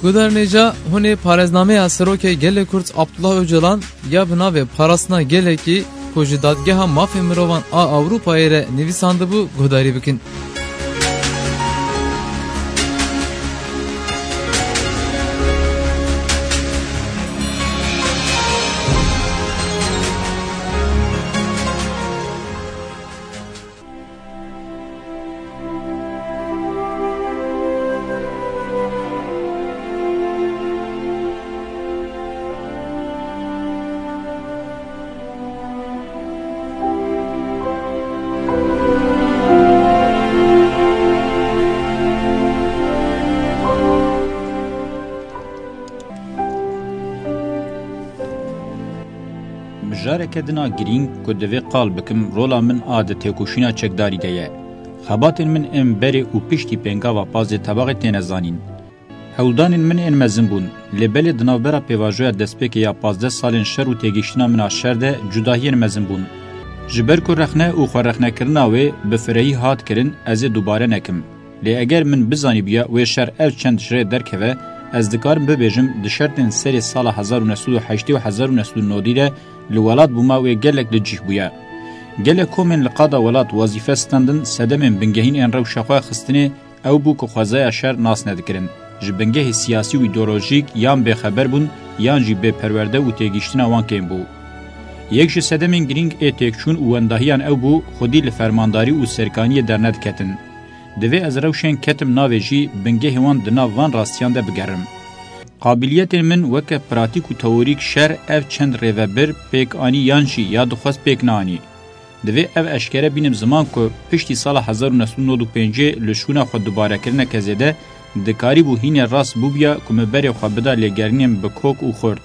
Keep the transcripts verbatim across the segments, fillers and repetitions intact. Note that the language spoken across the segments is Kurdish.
Guhdarên hêja, hûn ê parêznameya Serokê Gelê Kurd Abdullah Ocalan ya bi navê Parastina Gelekî ku ji Dadgeha Mafê Mirovan a Ewropayê re nivîsandibû guhdarî bikin. Mijareke din a girîng ku divê qal bikim, rola min a di têkoşîna çekdarî de ye. Xebatên min ên berê û piştî pêngava pazdeh Tebaxê têne zanîn. Hewldanên min ên mezin bûn, lê belê di navbera pêvajoya destpêkê ya pazdeh salên şer û têgihiştina min a şer de cudahiyên mezin bûn. Ji ber ku rexne û xwerexnekirina wê bi firehî hat kirin, ez ê dubare nekim. Lê eger min bizanîbûya wê şer ev çend ji rê derkeve, ez dikarim bibêjim, di şertên serê sala hezar û neh sed û heştê û hezar û neh sed û nodî de li welat bûma wê gelek li cih bûye. Gelek komên li qada welat wezîfe standin, sedemên bingehîn ên rewşa xwe xistinê ew bû ku xwezaya şer nas nedikirin, ji bingehê siyasî û îdeolojîk yan bêxeber bûn, yan jî bêperwerde û têgihiştina wan kêm bû. Yek ji sedemên girîng ê têkçûn û wendahiyan ew bû, xwedî li fermandarî û serkaniyê dernediketin. Divê ez rewşên ketim navê jî bingehê wan di nav van rastiyan de bigerim. Qabiliyetên min weke pratîk û teorîk şer ev çend rêvebir pêk anî yan jî ya dixwest pêk neanî. Divê ev eşkere bînim ziman ku piştî sala hezar û neh sed û nod û pêncê li şûna xwe dubarekirineke zêde dikarîbû hînê rast bûbûya ku min berê xwe bida lêgerînên bi kok û xurt.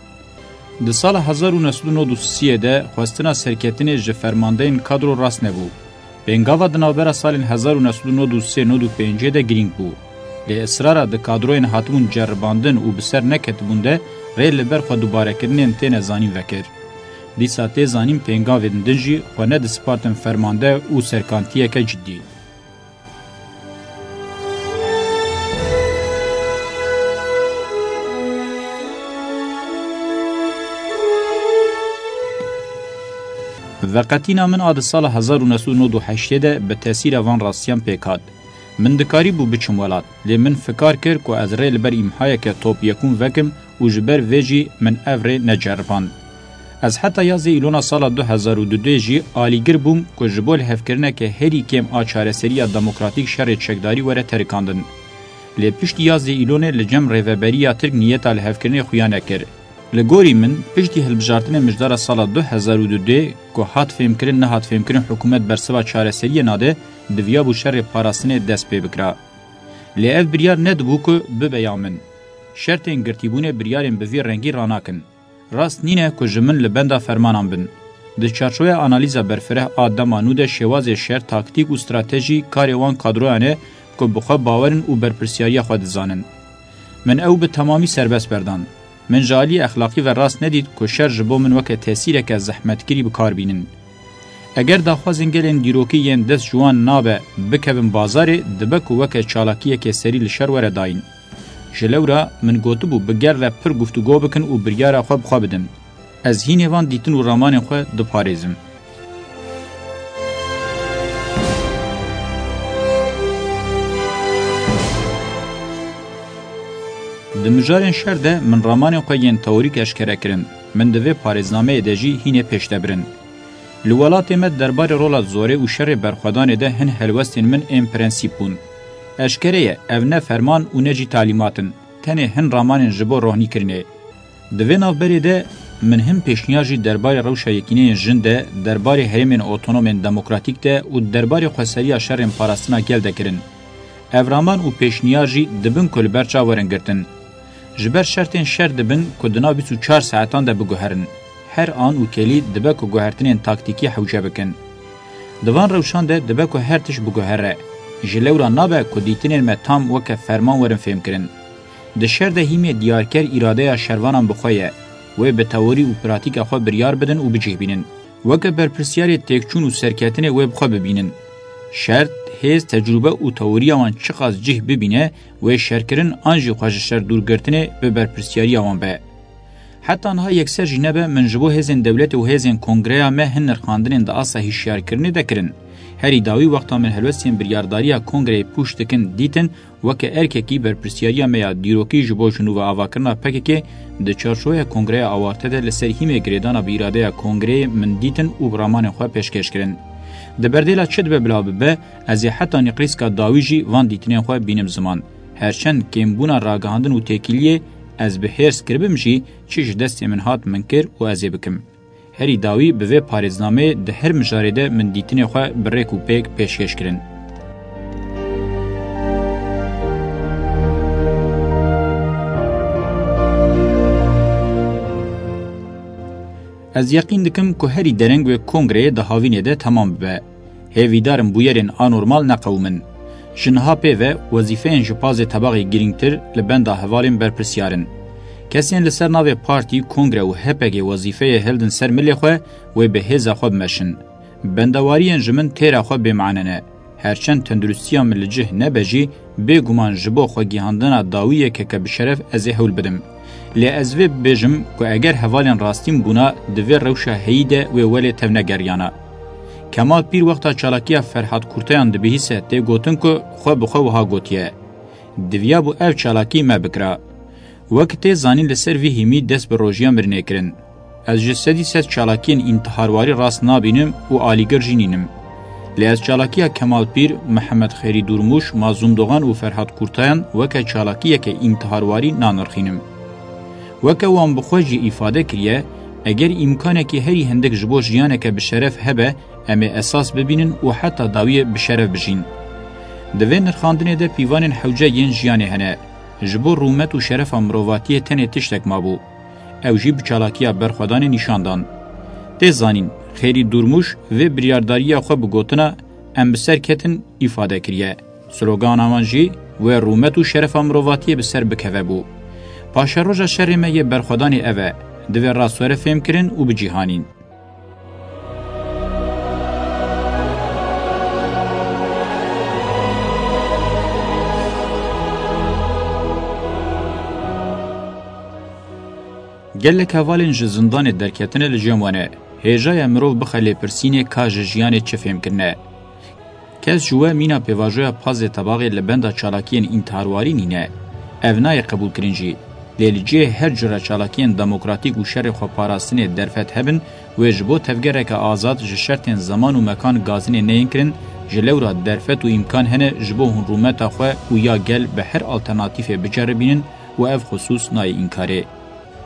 Di sala hezar û neh sed û nod û sê de xwestina serketinê ji fermandeyên kadro rast nebû. Pêngava di navbera salên hezar û neh sed û nod û sê nod û pêncê de girîng bû. Lê israra di kadroyên hatibûn ceribandin û bi ser neketibûn de rê li ber xwe dubarekirinên têne zanîn vekir. Dîsa tê zanîn pêngavên din jî xwe nedispartin fermande û serkantiyeke cidî. Veqetîna min a di sala hezar û neh sed û nod û heştê de bi tesîra van rastiyan pêk hat. Min dikarîbû biçim welat, lê min fikar kir ku ez rê li ber îmhayeke top yekûn vekim û ji ber vê jî min ev rê neceriband. Ez heta yazdê Îlona sala du hezar û dudê jî alîgir bûm ku ji bo lihevkirineke herî kêm a çareseriya demokratîk şerê çekdarî were terikandin. Lê piştî yazdê Îlonê li cem rêveberiya Tirk niyeta lihevkirinê xuya nekir. Li gorî min, piştî hilbijartinê mijdara sala du hezar û dudê ku hat fêmkirin nehat fêmkirin hikûmet bersiva çareseriyê nade, diviyabû şerê parastinê dest pê bikira. Lê ev biryar nedibû ku bibe ya min. Şertên girtîbûnê biryarên bi vî rengî ranakin. Rast nîne ku ji min li benda fermanan bin. Di çarçoveya analîza berfireh a dema nû de şêwazê şer, taktîk û stratejî karê wan kadroyan e ku bi xwe bawer in û berpirsiyariya xwe dizanin. Min ew bi temamî serbest berdan. Min ji aliyê exlaqî ve rast nedît ku şer ji bo min weke tesîreke zehmetkirî bi kar bînin. Eger daxwazên gelên dîrokî yên dest ji wan nabe bikevin bazarê, dibe ku weke çalakiyekê serî li şer were dayîn. Ji lewra min gotibû bi gel re pir guftûgo bikin û biryara xwe bi xwe bidin. Ez hînê van dîtin û ramanên xwe diparêzim. Di mijarên şer de min ramanên xwe yên teorîk eşkere kirin. Min di vê parêznameyê de jî hînê pêş de birin. Li welatê me derbarê rola zorê û şerê berxwedanê de hin helwestên min ên prensîp bûn. Eşkere ye, ev ne ferman û ne jî talîmat in, tenê hin ramanên ji bo rohnîkirinê. Di vê navberê de min hin pêşniyar jî derbarê rewşa yekîneyên jin de, derbarê herêmên otonomên demokratîk de û derbarê xweseriya şerên parastina gel de kirin. Ev raman û pêşniyar jî dibin ku li ber çav werin girtin. Ji ber şertên şer dibin ku di nav bîst û çar saetan de biguherin. Her an û kelî dibe ku guhertinên taktîkî hewce bikin. Di van rewşan de dibe ku her tişt biguhere. Ji lewra nabe ku dîtinên me tam weke ferman werin fêmkirin. Di şer de hîmê diyarker îradeya şervanan bi xwe ye. Wê bi teorî û pratîka xwe biryar bidin û bicih bînin. Weke berpirsiyarê têkçûn û serketinê wê bi xwe bibînin. Şert, hêz, tecrûbe û teoriya wan çiqas cih bibîne, wê şerkirin an jî xwe ji şer dûrgirtinê bi berpirsiyariya wan be. Heta niha yekser jî nebe min ji bo hêzên dewletê û hêzên kongreya me hin nirxandinên di asta hişyarkirinê de kirin. Herî dawî wexta min helwestên biryardariya kongreyê pûç dikin dîtin, weke erkekî berpirsiyariya me ya dîrokî ji bo ji nû ve avakirina P K K di çarçoveya kongreya awarte de li ser hîmê girêdana bi îradeya kongreyê min dîtin û bi ramanên xwe pêşkêş kirin. Di berdêla çi dibe bila bibe, ez ê heta nîqrîska dawî jî van dîtinên xwe bînim ziman. Her çend kêmbûna ragihandin û têkiliyê ez bi hêrs kiribim jî, çi ji destê min hat min kir û ez ê bikim. Herî dawî bi vê parêznameyê di her mijarê de min dîtinê xwe bi rêk û pêk pêşkêş kirin. Ez yeqîn dikim ku herî dereng wê kongreyê di havînê de temam bibe. Hêvîdar im bûyerên anormal neqewimin. Ji niha pê ve wezîfeyên ji pazê tebaxê girîngtir li benda hevalên berpirsyar in. Kesên li ser navê partî, kongre û H P G wezîfeyê hildin ser milê xwe, wê bi hêza xwe bimeşin. Bendewariyên ji min têra xwe bêmane ne. Her çend tenduristiya min li cih nebe jî, bêguman ji bo xwegihandina dawiyê K K bi şeref ez ê hewl bidim. Lê ez vê bibêjim ku eger hevalên rastîn bûna, di vê rewşa heyî de wê welê tevnegeriyana. Kemal Pîr wexta çalakiya Ferhat Kurtayan dibihîse, tê gotin ku xwe bi xwe wiha gotiye: "Diviyabû ev çalakî me bikira." Wek tê zanîn, li ser vî hîmî dest bi rojiya mirinê kirin. Ez ji sedî sed çalakiyên întiharwarî rast nabînim û alîgir jî nînim. Lê ez çalakiya Kemal Pîr, Mihemed Xêrî Dûrmûş, Mazlûm Dogan û Ferhat Kurtayan weke çalakiyeke întiharwarî nanirxînim. Weke wan bi xwe jî îfade kiriye, eger îmkanekî herî hindik ji bo jiyaneke bi şeref hebe, em ê esas bibînin û heta dawiyê bi şeref bijîn. Di vê nirxandinê de pîvanên hewce yên jiyanê hene. Ji bo rûmet û şerefa mirovatiyê tenê tiştek mabû. Ew jî bi çalakiya berxwedanê nîşan dan. Tê zanîn, Xêrî Dûrmûş vê biryardariya xwe bi gotina "Em bi ser ketin" îfade kiriye. Slogana wan jî "Wê rûmet û şerefa mirovatiyê bi ser bikeve" bû. Paşeroja şerê me yê berxwedanê ev e, divê rast were fêmkirin û bicîhanîn. Gelek hevalên ji zindanê derketine li cem we ne. Hêja ye mirov bixe lêpirsînê ka ji jiyanê çi fêmkirine. Kes ji we mîna pêvajoya pazê tebaxê li benda çalakiyên întiharwarî nîne. Ev nayê qebûlkirin jî. Lê li cihê her cure çalakiyên demokratîk û şerê xweparastinê derfet hebin, wê ji bo tevgereke azad ji şertên zeman û mekan gazinê neyên kirin, ji lewra derfet û îmkan hene ji bo hûn rûmeta xwe û ya gel bi her alternatîfê biceribînin û ev xisûs nayê înkarê.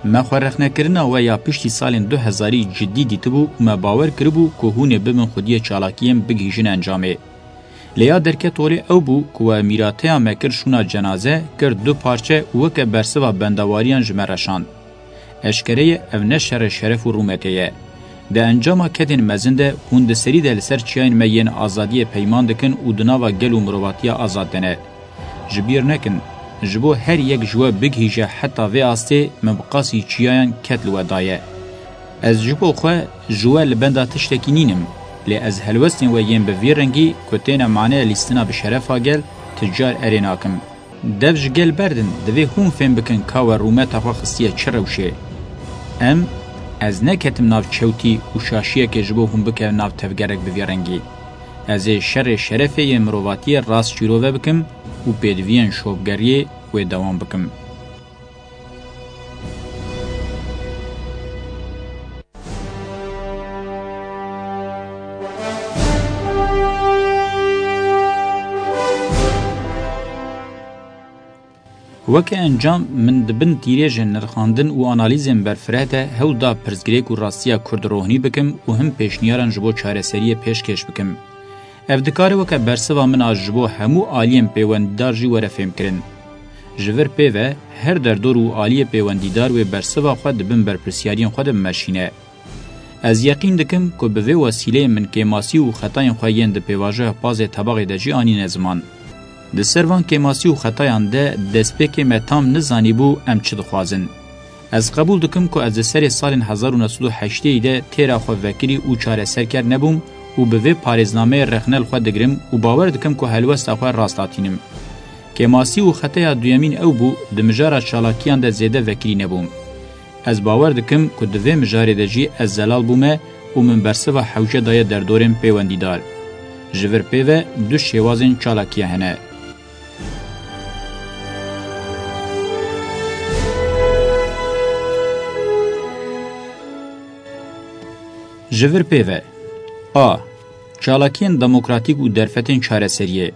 Me xwerexnekirina we ya piştî salên du hezarî cidî dîtibû û me bawer kiribû ku hûn ê bibin xwediyê çalakiyên bigihîjin encamê. Lê ya derket holê ew bû ku we mîrateya me kir şûna cenaze, kir du parçe û weke bersiva bendewariyan ji me re şand. Eşkere ye ev ne şerê şeref û rûmetê ye. Di encama kedên mezin de hûn di serî de li ser çiyayên me yên azadiyê peyman dikin û di nava gel û mirovatiya azad de ne. Ji bîr nekin, ji bo her yek ji we bigihîje heta vê astê, min bi qasî çiyayan ked li we daye. Ez ji bo xwe ji we li benda tiştekî nînim, lê ez helwestên we yên bi vî rengî ku têne mane lîstina bi şerefa gel, ti car erê nakim. Dev ji gel berdin, divê hûn fêm bikin ka we rûmeta xwe xistiye çi rewşê. Em, ez neketim nav çewtî û şaşiyekê ji bo hûn bikevin nav tevgerek bi vî rengî. Ez ê şerê şerefê yê mirovatiyê rast şîrove bikim û pêdiviyên şopgeriyê wê dewam bikim. Weke encam, min di bin tîrêjên nirxandin û analîzên berfireh de hewl da pirsgirêk û rastiya Kurd rohnî bikim û him pêşniyaran ji bo çareseriyê pêşkêş bikim. Ev dikare weke bersiva min a ji bo hemû aliyên pêwendîdar jî were fêmkirin. Ji vir pê ve, her derdor û aliyê pêwendîdar wê bersiva xwe di bin berpirsyariyên xwe de bimeşîne. Ez yeqîn dikim ku bi vê wesîleyê min kêmasî û xetayên xwe yên di pêvajoya pazê tebaxê de jî anîne ziman. Di ser van kêmasî û xetayan de destpêkê me tam nizanîbû em çi dixwazin. Ez qebûl dikim ku ez di serê salên hezar û neh sed û heştê de têra xwe vekirî û çareserker nebûm û bi vê parêznameyê rexne li xwe digirim û bawer dikim ku helwesta xwe rast hatînim. Kêmasî û xeteya duyemîn ew bû, di mijara çalakiyan de zêde vekirî nebûm. Ez bawer dikim ku di vê mijarê de jî ez zelal bûme û min bersiva hewce daye derdorên pêwendîdar. Ji vir pê ve du şêwazên çalakiya hene. Ji vir pê ve. A. Çalakiyên demokratîk û derfetên çareseriyê.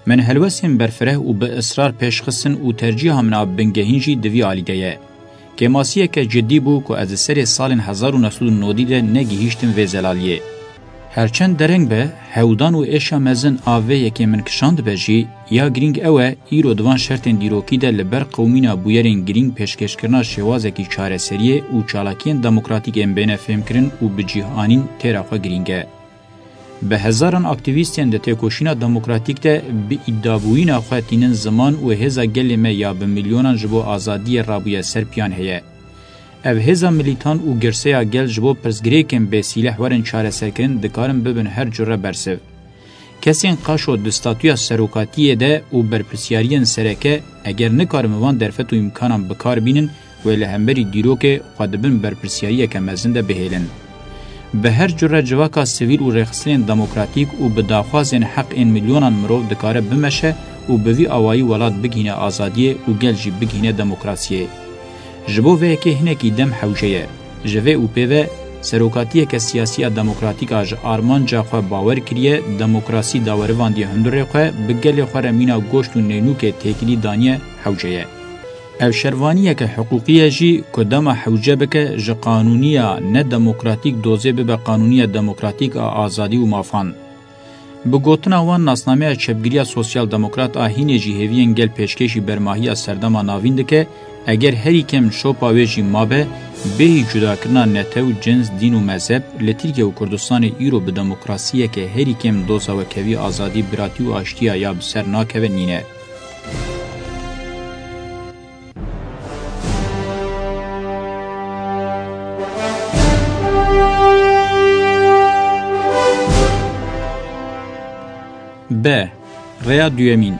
Min helwestên berfireh û bi israr pêş xistin û tercîha min a bingehîn jî di vî alî de ye. Kêmasiyeke cidî bû ku ez di serê salên hezar û neh sed û nodî de negihîştim vê zelaliyê. Her çend dereng be, hewdan û êşa mezin a vê yekê min kişandibe jî, ya girîng ew e, îro di van şertên dîrokî de li ber qewimîna bûyerên girîng pêşkêşkirina şêwazekî çareseriyê û çalakiyên demokratîk ên bêne fêmkirin û bi cih anîn têra xwe girîng e. Bi hezaran aktîvîstên di têkoşîna demokratîk de bi îdabûyîna xwe tînin ziman û hêza gelê me ya bi milyonan ji bo azadiyê rabûye ser piyan heye. Ev hêza milîtan û girseya gel ji bo pirsgirêkên bêsîleh werin çareserkirin dikarin bibin her cure bersiv. Kesên qaşo di statûya serokatiyê de û berpirsyariyên sereke eger nikarin van derfet û îmkanan bi kar bînin, wê li hemberî dîrokê xwe di bin berpirsiyariyeke mezin de bihêlin. Bi her cure civaka sivîl û rêxistinên demokratîk û bi daxwazên heq ên milyonan mirov dikare bimeşe û bi vî awayî welat bigihîne azadiyê û gel jî bigihîne demokrasiyê. Ji bo vê yekê hinekî dem hewce ye. Ji vê û pê ve serokatiyeke siyasî ya demokratîk a ji armanca xwe bawer kiriye, demokrasî dawerivandiye hundirê xwe, bi gelê xwe re mîna goşt û nênûkê têkilî daniye hewce ye. Ev şervaniyeke hiqûqî ye jî ku dema hewce bike ji qanûniya nedemokratîk dozê bibe qanûniya demokratîk a azadî û mafan. Bi gotina wan nasnameya çepgiriya sosyal demokrat a hînê jî hêviyên gel pêşkêşî bermahiya serdema navîn dike, eger herî kêm şopa wê jî mabe, bêhî cudakirina netew, cins, dîn û mezheb, li Tirkiye û Kurdistanê îro bi demokrasiyeke herî kêm doza wekhevî azadî, biratî û aştiya ya bi ser nakeve nîne. B. Rêya duyemîn.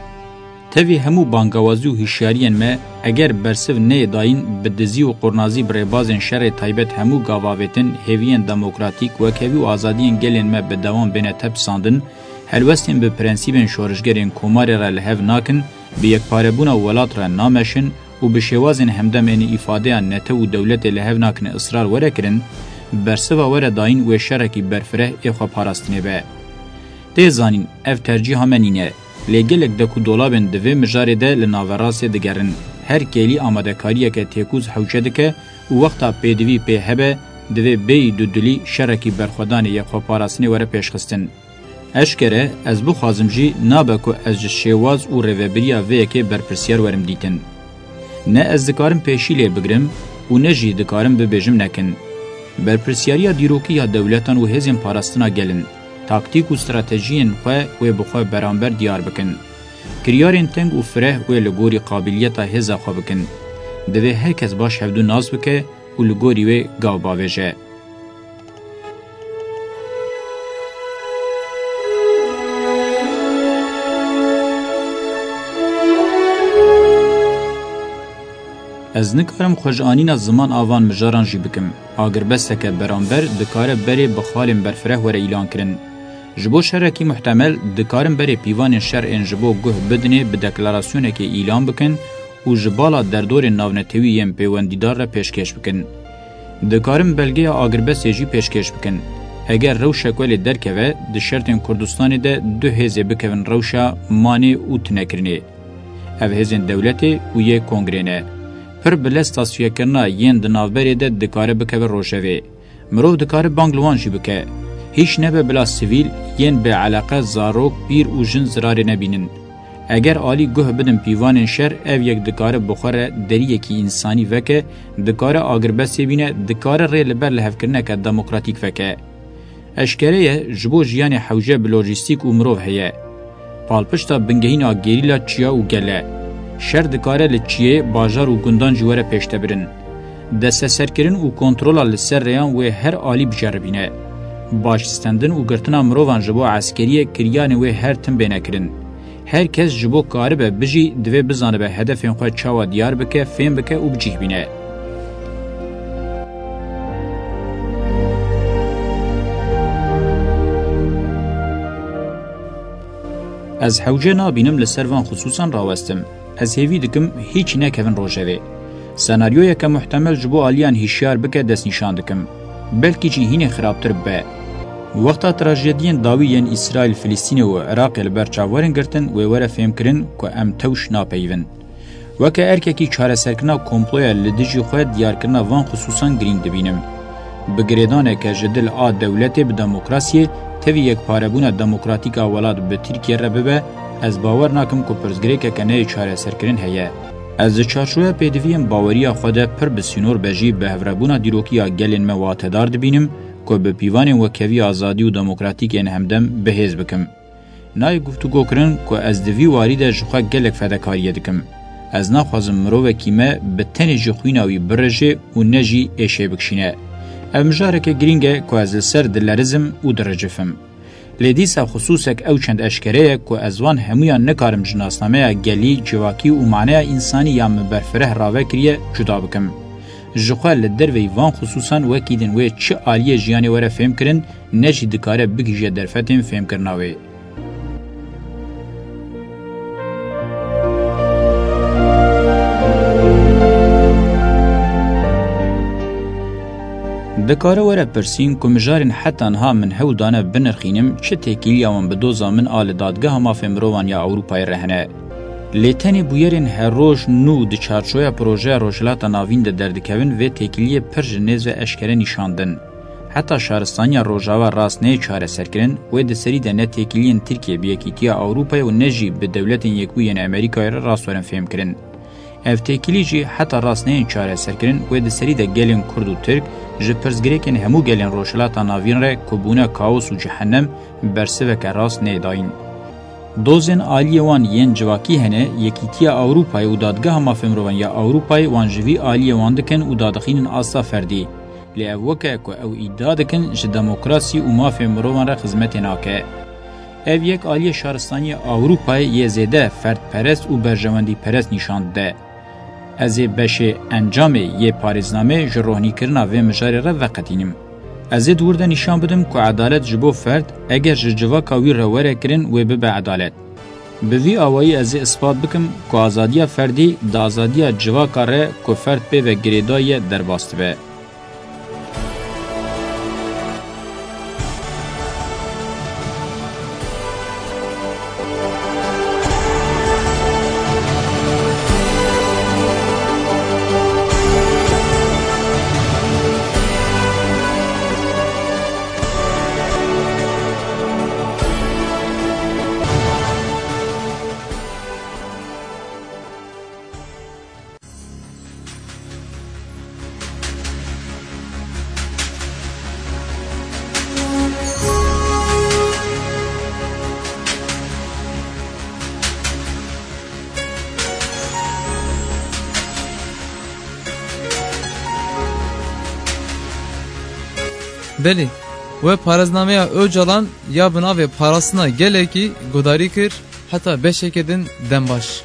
Tevî hemû bangawazî û hişyariyên me, eger bersiv neyê dayîn, bi dizî û qurnazî bi rêbazên şerê taybet hemû gav avêtin, hêviyên demokratîk, wekhevî û azadiyên gelên me bi dewam bêne tepisandin, helwestên bi prensîbên şorişgerên komarê re li hev nakin, bi yekparebûna welat re nameşin û bi şêwazên hemdem ên îfadeya netew û dewletê li hev nakin israr were kirin, bersiva were dayîn wê şerekî berfireh ê xweparastinê be. Tê zanîn, ev tercîha me nîne, lê gelek dek û dolabên di vê mijarê de li naverastê digerin. Her kêlî amadekariyeke têkûz hewce dike û wexta pêdivî pê hebe, divê bêyî dudilî şerekî berxwedanê yê xweparastinê were pêşxistin. Eşkere, ez bixwazim jî nabe ku ez ji şêwaz û rêvebiriya vê yekê berpirsiyar werim dîtin. Ne ez dikarim pêşî lê bigrim û ne jî dikarim bibêjim nekin. Berpirsyariya dîrokî ya dewletan û hêzên parastina gel in. Taktîk û stratejiyên xwe wê bi xwe beramber diyar bikin. Kiryarên teng û fireh wê li gorî qabiliyeta hêza xwe bikin. Divê her kes baş hevdû nas bike û li gorî wê gav bavêje. Ez nikarim xwe ji anîna ziman a van mijaran jî bikim. Agirbesteke beramber dikare berê bi xalên berfireh were îlan kirin. Ji bo şerekî muhtemel, dikarin berê pîvanên şer ên ji bo guh bidinê bi deklarasyonekê îlan bikin û ji bala derdorên navnetewî yên pêwendîdar re pêşkêş bikin. Dikarin belgeya agirbestê jî pêşkêş bikin. Eger rewşek welê derkeve, di şertên Kurdistanê de du hêzê bikevin rewşa manê û tunekirinê. Ev hêzên dewletê û yê kongrê ne. Pir bi lez tasfiyekirina yên di navberê de dikare bikeve rojevê. Mirov dikare bang li wan jî bike. Hîç nebe bila sivîl, yên bêeleqe, zarok, pîr û jin zirarê nebînin. Eger alî guh bidin pîvanên şer, ev yek dikare bi xwe re deriyekî însanî veke, dikare agirbestê bîne, dikare rê li ber lihevkirineke demokratîk veke. Eşkere ye, ji bo jiyanê hewce bi lojîstîk û mirov heye. Palpişta bingehîn a gerîla çiya û gel e. Şer dikare li çiyê, bajar û gundan jî were pêştebirin. Desteserkirin û kontrola li ser rêyan wê her alî biceribîne. Baş stendin û girtina mirovan ji bo eskeriyê kiryarên wê her tim bêne kirin. Her kes ji bo karibe bijî, divê bizanibe hedefên xwe çawa diyar bike, fêm bike û bi cih bîne. Ez hewce nabînim li ser van xisûsan rawestim. Ez hêvî dikim hîç nekevin rojevê. Senaryoyeke muhtemel ji bo aliyan hişyar bike destnîşan dikim. Belkî jî hînê xirabtir be. Wexta trajediyên dawî yên Îsraîl, Filistînê û Iraqê li ber çav werin girtin, wê were fêmkirin ku em tewş napeyivin. Weke erkekî çareserkirina komploya li dijî xwe diyarkirina van xisûsan girîng dibînim. Bi girêdaneke ji dil a dewletê bi demokrasiyê, tevî yekparebûna demokratîk a welat bi Tirkiye re bibe, ez bawer nakim ku pirsgirêkeke neyê çareserkirin heye. Ez di çarçoya pêdiviyên baweriya xwe de pir bi sînor be jî bi hevrebûna dîrokiya gelên me watedar dibînim ku bi pîvanên wekheviya azadî û demokratîk ên hemdem bi hêz bikim. Nayê guftûgo kirin ku ez di vî warî de ji xwe gelek fedekariyê dikim. Ez naxwazim mirovekî me bi tenê ji xwîna wî birije û ne jî êşê bikişîne. Ev mijareke girîng e ku ez li ser dilerizim û diricifim. Lê dîsa xisûsek ew çend eşkere ye ku ez wan hemûyan nikarim ji nasnameya gelî, civakî û maneya însanî ya min berfireh rave kiriye cuda bikim. Ji xwe li derveyî van xisûsan wekî din wê çi aliyê jiyanê were fêmkirin, ne jî dikare bigihîje derfetên fêmkirina wê. Dikare were pirsîn ku mijarên heta niha min hewl dane binirxînim, çi têkiliya wan bi doza min a li Dadgeha Mafê Mirovan ya Ewropayê re hene. Lê tenê bûyerên her roj nû di çarçoya projeya Rojhilata Navîn de derdikevin vê têkiliyê pir ji nêz ve eşkere nîşan din. Heta şaristaniya Rojava rast neyê çareserkirin, wê di serî de ne têkiliyên Tirkiye bi Yekîtiya Ewropayê û ne jî bi Dewletên Yekbûyî yên Amerîkayê re rast werin fêmkirin. Ev têkilî jî heta rast neyên çareserkirin, wê di serî de gelên Kurd û Tirk ji pirsgirêkên hemû gelên Rojhilata Navîn re ku bûne kaos û cehennem, bersiveke rast neyê dayîn. Dozên aliyê wan yên civakî hene, Yekîtiya Ewropayê û Dadgeha Mafê Mirovan ya Ewropayê wan ji vî aliyê wan dikin û dadixînin asta ferdî. Lê ev weke ku ew îdia dikin ji demokrasî û mafê mirovan re xizmetê nake. Ev yek aliyê şaristaniya Ewropayê yê zêde ferdperest û berjewendîperest nîşan dide. Ez ê beşê encamê yê parêznamê ji rohnîkirina vê mijarê re veqetînim. Ez ê di wir de nîşan bidim ku edalet ji bo ferd, eger ji civaka wî re were kirin, wê bibe edalet. Bi vî awayî ez ê ispat bikim ku azadiya ferdî di azadiya civaka re ku ferd pê ve girêdayî ye derbas dibe. Belê, we parêznameya Ocalan ya bi navê Parastina Gelekî guhdarî kir, heta beşeke din dem baş.